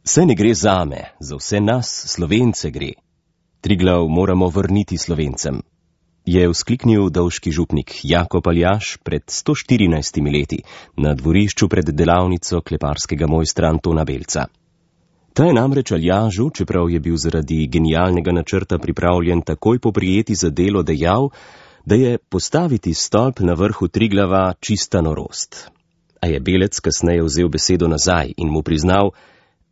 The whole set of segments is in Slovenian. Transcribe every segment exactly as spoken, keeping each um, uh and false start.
Saj ne gre zame, za vse nas, Slovence gre. Triglav moramo vrniti Slovencem, je vzkliknil dolški župnik Jakob Aljaž pred sto štirinajstimi leti na dvorišču pred delavnico kleparskega mojstra Antona Belca. Ta je namreč Aljažu, čeprav je bil zaradi genialnega načrta pripravljen takoj poprijeti za delo, dejal, da je postaviti stolp na vrhu Triglava čista norost. A je Belec kasneje vzel besedo nazaj in mu priznal,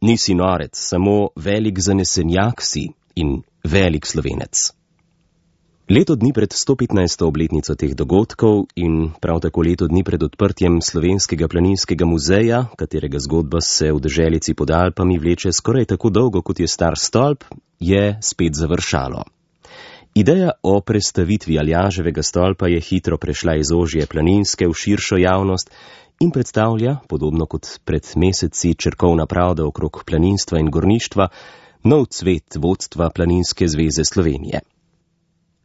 nisi norec, samo velik zanesenjak si in velik Slovenec. Leto dni pred sto petnajsto obletnico teh dogodkov in prav tako leto dni pred odprtjem Slovenskega planinskega muzeja, katerega zgodba se v deželici pod Alpami vleče skoraj tako dolgo, kot je star stolp, je spet završalo. Ideja o prestavitvi Aljaževega stolpa je hitro prešla iz ožje planinske v širšo javnost in predstavlja, podobno kot pred meseci črkovna pravda okrog planinstva in gorništva, nov cvet vodstva Planinske zveze Slovenije.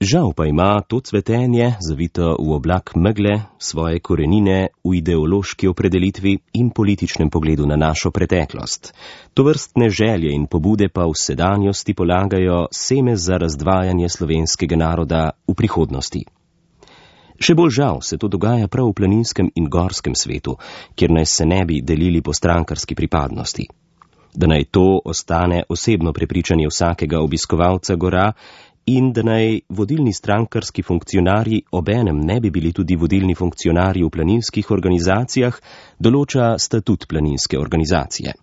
Žal pa ima to cvetenje, zavito v oblak megle, svoje korenine v ideološki opredelitvi in političnem pogledu na našo preteklost. Tovrstne želje in pobude pa v sedanjosti polagajo seme za razdvajanje slovenskega naroda v prihodnosti. Še bolj žal se to dogaja prav v planinskem in gorskem svetu, kjer naj se ne bi delili po strankarski pripadnosti. Da naj to ostane osebno prepričanje vsakega obiskovalca gora in da naj vodilni strankarski funkcionarji obenem ne bi bili tudi vodilni funkcionarji v planinskih organizacijah, določa statut planinske organizacije.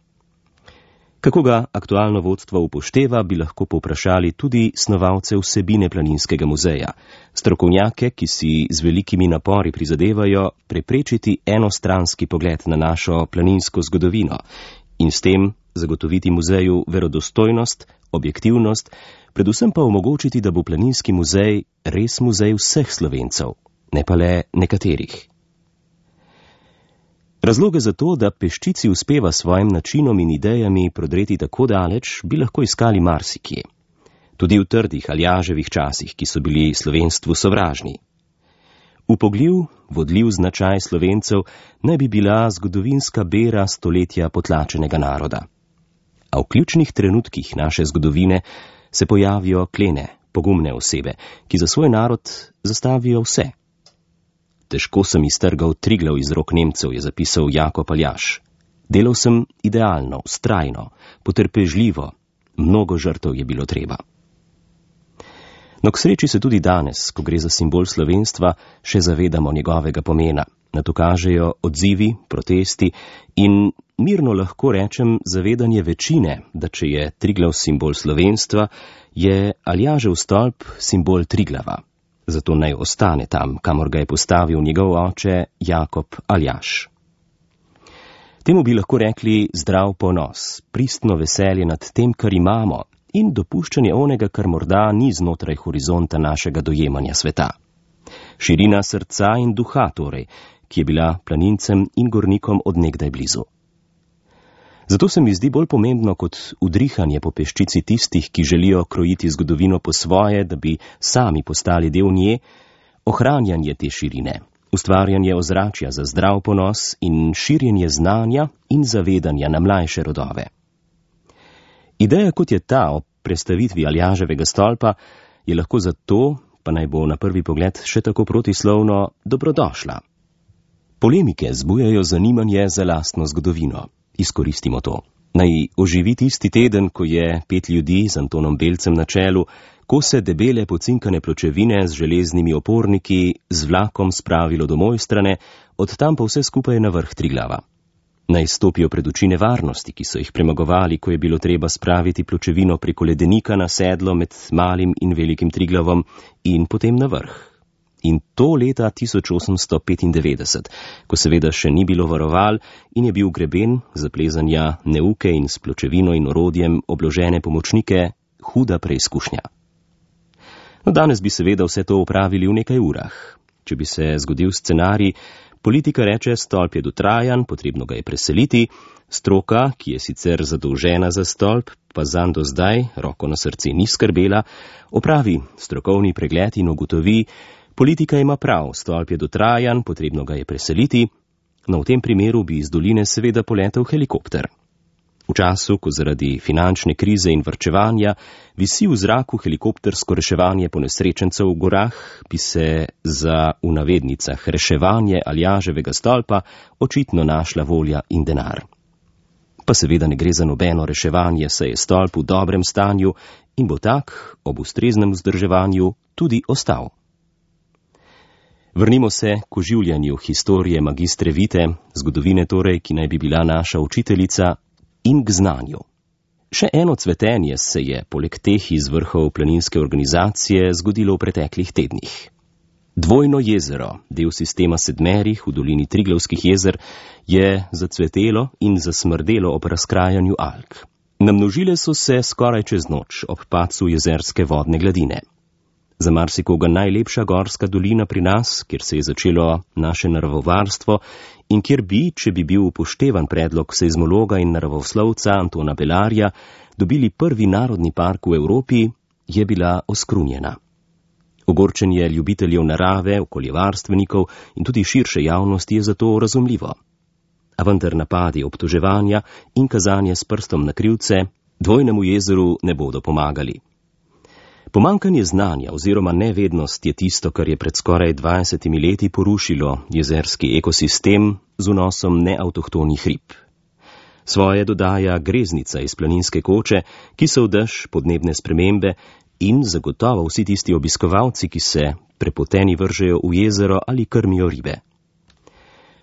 Kako ga aktualno vodstvo upošteva, bi lahko povprašali tudi snovalce vsebine Planinskega muzeja, strokovnjake, ki si z velikimi napori prizadevajo preprečiti enostranski pogled na našo planinsko zgodovino in s tem zagotoviti muzeju verodostojnost, objektivnost, predvsem pa omogočiti, da bo Planinski muzej res muzej vseh Slovencev, ne pa le nekaterih. Razloge za to, da peščici uspeva svojim načinom in idejami prodreti tako daleč, bi lahko iskali marsikje. Tudi v trdih Aljaževih časih, ki so bili slovenstvu sovražni. Upogljiv, vodljiv značaj Slovencev naj bi bila zgodovinska bera stoletja potlačenega naroda. A v ključnih trenutkih naše zgodovine se pojavijo klene, pogumne osebe, ki za svoj narod zastavijo vse. Težko sem iztrgal Triglav iz rok Nemcev, je zapisal Jakob Aljaž. Delal sem idealno, vztrajno, potrpežljivo, mnogo žrtev je bilo treba. No, k sreči se tudi danes, ko gre za simbol slovenstva, še zavedamo njegovega pomena. Na to kažejo odzivi, protesti in mirno lahko rečem zavedanje večine, da če je Triglav simbol slovenstva, je Aljažev stolp simbol Triglava. Zato naj ostane tam, kamor ga je postavil njegov oče Jakob Aljaž. Temu bi lahko rekli zdrav ponos, pristno veselje nad tem, kar imamo, in dopuščanje onega, kar morda ni znotraj horizonta našega dojemanja sveta. Širina srca in duha torej, ki je bila planincem in gornikom od nekdaj blizu. Zato se mi zdi bolj pomembno kot udrihanje po peščici tistih, ki želijo krojiti zgodovino po svoje, da bi sami postali del nje, ohranjanje te širine, ustvarjanje ozračja za zdrav ponos in širjenje znanja in zavedanja na mlajše rodove. Ideja, kot je ta o prestavitvi Aljaževega stolpa, je lahko zato, pa naj bo na prvi pogled še tako protislovno, dobrodošla. Polemike zbujajo zanimanje za lastno zgodovino. Izkoristimo to. Naj oživi tisti teden, ko je pet ljudi z Antonom Belcem na čelu, kose debele pocinkane pločevine z železnimi oporniki z vlakom spravilo do Mojstrane, od tam pa vse skupaj na vrh Triglava. Naj stopijo pred oči nevarnosti, ki so jih premagovali, ko je bilo treba spraviti pločevino preko ledenika na sedlo med malim in velikim Triglavom in potem na vrh. In to leta tisoč osemsto petindevetdeset, ko seveda še ni bilo varoval in je bil greben za plezanja neuke in s pločevino in orodjem obložene pomočnike huda preizkušnja. No, danes bi seveda vse to opravili v nekaj urah. Če bi se zgodil scenarij, politika reče, stolp je dotrajan, potrebno ga je preseliti, stroka, ki je sicer zadolžena za stolp, pa zanj do zdaj, roko na srce, ni skrbela, opravi strokovni pregled in ugotovi, politika ima prav, stolp je dotrajan, potrebno ga je preseliti, no v tem primeru bi iz doline seveda poletel helikopter. V času, ko zaradi finančne krize in varčevanja visi v zraku helikoptersko reševanje ponesrečencev v gorah, bi se za v navednicah reševanje Aljaževega stolpa očitno našla volja in denar. Pa seveda ne gre za nobeno reševanje, saj je stolp v dobrem stanju in bo tak, ob ustreznem vzdrževanju, tudi ostal. Vrnimo se k oživljanju historije magistre Vite, zgodovine torej, ki naj bi bila naša učiteljica, in k znanju. Še eno cvetenje se je, poleg teh iz vrhov planinske organizacije, zgodilo v preteklih tednih. Dvojno jezero, del sistema sedmerih v dolini Triglavskih jezer, je zacvetelo in zasmrdelo ob razkrajanju alg. Namnožile so se skoraj čez noč ob padcu jezerske vodne gladine. Za marsikoga najlepša gorska dolina pri nas, kjer se je začelo naše naravovarstvo in kjer bi, če bi bil upoštevan predlog seizmologa in naravoslovca Antona Belarja, dobili prvi narodni park v Evropi, je bila oskrunjena. Ogorčenje ljubiteljev narave, okoljevarstvenikov in tudi širše javnosti je zato razumljivo. A vendar napadi obtoževanja in kazanje s prstom na krivce dvojnemu jezeru ne bodo pomagali. Pomankanje znanja oziroma nevednost je tisto, kar je pred skoraj dvajsetimi leti porušilo jezerski ekosistem z vnosom neavtohtonih rib. Svoje dodaja greznica iz Planinske Koče, ki so v dež podnebne spremembe in zagotovo vsi tisti obiskovalci, ki se prepoteni vržejo v jezero ali krmijo ribe.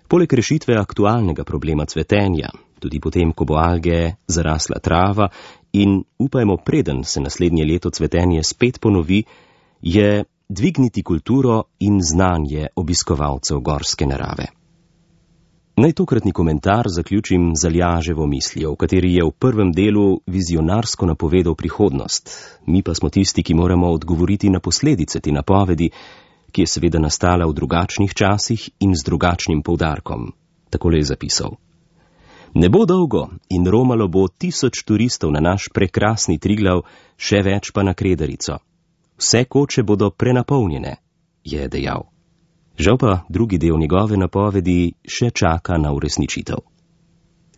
Poleg rešitve aktualnega problema cvetenja, tudi potem, ko bo alge zarasla trava in upajmo, preden se naslednje leto cvetenje spet ponovi, je dvigniti kulturo in znanje obiskovalcev gorske narave. Naj tokratni komentar zaključim z Aljaževo mislijo, v kateri je v prvem delu vizionarsko napovedal prihodnost, mi pa smo tisti, ki moramo odgovoriti na posledice te napovedi, ki je seveda nastala v drugačnih časih in z drugačnim poudarkom. Takole je zapisal. Ne bo dolgo in romalo bo tisoč turistov na naš prekrasni Triglav, še več pa na Kredarico. Vse koče bodo prenapolnjene, je dejal. Žal pa drugi del njegove napovedi še čaka na uresničitev.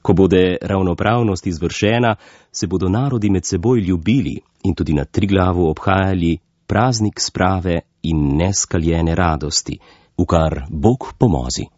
Ko bude ravnopravnost izvršena, se bodo narodi med seboj ljubili in tudi na Triglavu obhajali praznik sprave in neskaljene radosti, v kar Bog pomozi.